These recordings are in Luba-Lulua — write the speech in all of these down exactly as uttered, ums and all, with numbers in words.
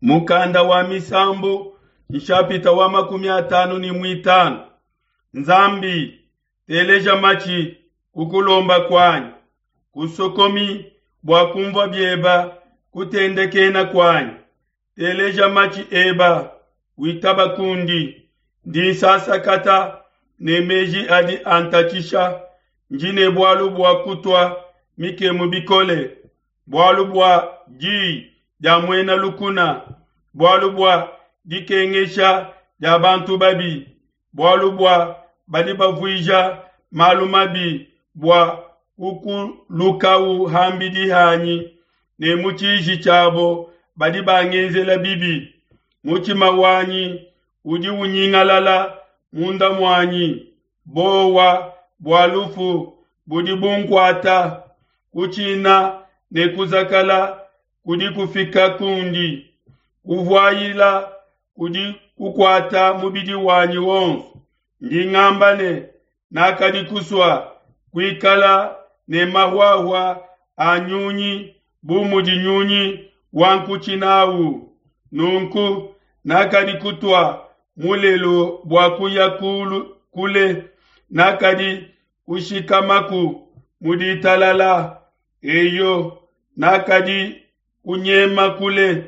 Mukanda wa Misambu nshapita wa makumi atanu ne muitanu. Nzambi, teleja matshi kukulomba kuanyi, kusokomi bua kumvua bieba kutendekena kuanyi. Teleja matshi eba, witaba kundi, ndi nsasakata ne meji adi antatshisha, ndi ne bualu bua kutua mikemu bikole, bualu bua diyi dia muena lukuna, bualu bua dikengesha dia bantu babi, bualu bua badi bavuija malu mabi bua kukulukau hambidi hanyi, ne mu tshiji tshiabo badi bangenzela bibi. Mutshima wanyi udi unyingalala munda muanyi, bowa bua lufu budi bunkuata, kutshina ne kuzakala kudi kufika kundi, kuvuayila kudi kukuata mubidi wanyi wonso. Ndi ngamba ne, nakadi kusua kuikala ne mahuahua a nyunyi bu mudi nyunyi wa nkutshi nawu. Nunku nakadi kutua mulelu bua kuya kulu kule, nakadi kushikamaku mu ditalala. Eyo, nakadi kunyema kule,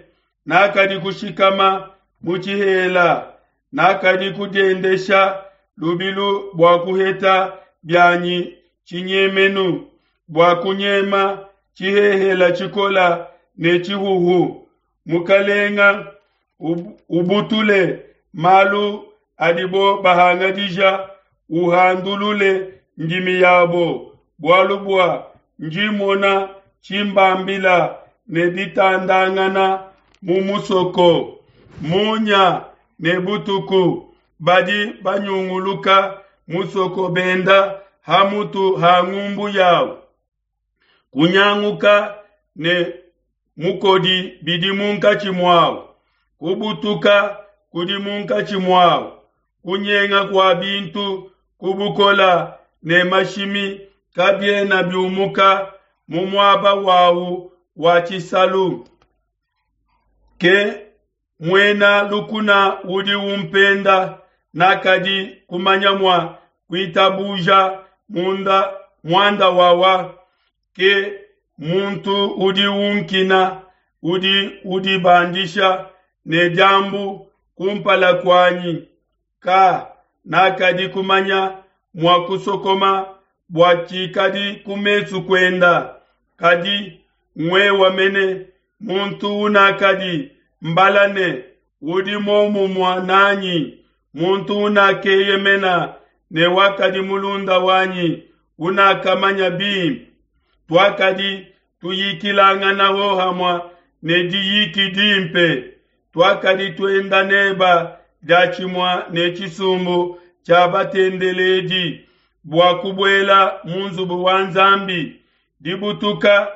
nakadi kushikama mu tshihela, nakadi kudiendesha lubilu bua kuheta bianyi tshinyemenu, bua kunyema tshihehela tshikola ne tshihuhu. Mukalenga, ubutule malu adibo bahangadija, uhandulule ndimi yabo, bualu bua njimona tshimbambila ne ditandangana mu musoko. Munya ne butuku badi banyunguluka musoko benda hamutu ha ngumbu yawo. Kunyanguka ne mukodi bidi munkatshi muawo, kubutuka kudi munkatshi muawo, kunyenga kua bintu kubukola ne mashimi kabiena biumuka mu muaba wawu wa tshisalu. Ke muena lukuna udi umpenda, nakadi kumanya mua kuitabuja munda muanda wawa. Ke muntu udi unkina, udi udibandisha ne diambu kumpala kuanyi. Ka nakadi kumanya mua kusokoma bua tshikadi ku mesu kuenda, kadi ngwewa mene muntu unakadi mbala ne udi momumua nanyi, muntu unakeyemena ne wakadi mulunda wanyi unakamanya bimpe. Twakadi tuyikilangana hohamua ne diyiki dimpe, twakadi tuenda neba diatshimua ne tshisumbu tshia batendeledi bua kubuela mu nzubu wa Nzambi. Dibutuka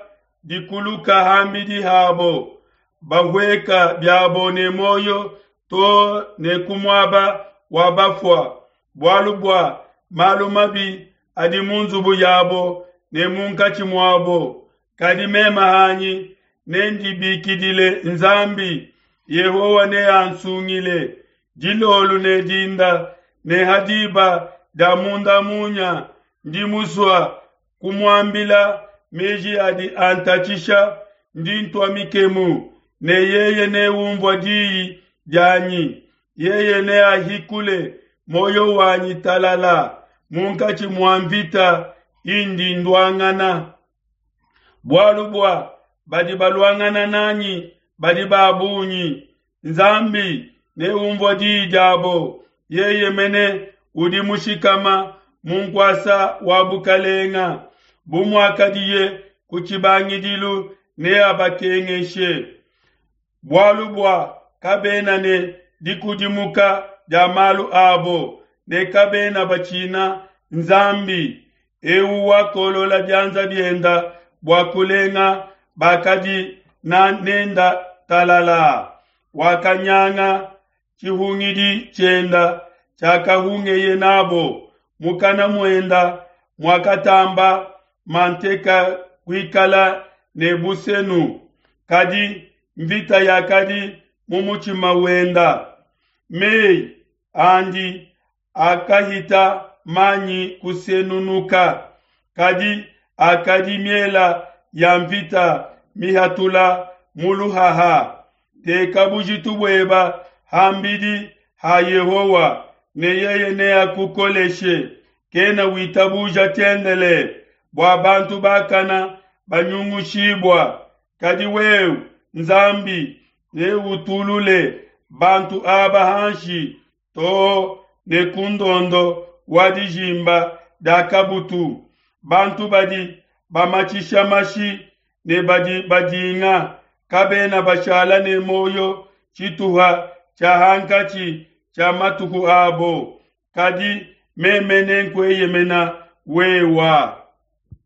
dikuluka hambidi habo, bahueka biabo ne moyo to ne ku muaba wa bafua, bualu bua malu mabi adi mu nzubu yabo ne munkatshi muabo. Kadi mema hanyi nendibikidile Nzambi, Yehowa neansungile. Dilolu ne dinda ne hadiba dia munda munya, ndi musua kumuambila meji adi antatshisha, ndi ntua mikemu ne yeye neumvua diyi dianyi. Yeye neahikule moyo wanyi talala munkatshi mua mvita indi nduangana. Bualu bua badi baluangana nanyi badi ba bungi, Nzambi neumvua diyi diabo. Yeye mene udi mushikama mu nkuasa wa bukalenga, bu muakadiye ku tshibangidilu neabakengeshe. Bualu bua kabena ne dikudimuka dia malu abo, ne kabena batshina Nzambi. Eu wakolola bianza bienda bua kulenga bakadi na nenda talala, wakanyanga tshihungidi tshienda tshiakahungeye nabo. Mukana muenda muakatamba manteka kuikala ne busenu, kadi mvita yakadi mu mutshima wenda. Meyi andi akahita manyi kusenunuka, kadi akadi miela ya mvita mihatula mu luhaha. Teka bujitu bueba ham'bidi ha Yehowa, ne yeye neakukoleshe. Kena witabuja tshiendelele bua bantu bakana banyungushibua. Kadi wewe, Nzambi, neutulule bantu aba hanshi too ne ku ndondo wa dijimba dia kabutu. Bantu badi bamatshisha mashi ne badi badinga kabena bashala ne muoyo tshituha tshia hankatshi tshia matuku abo. Kadi meme nenkueyemena wewa.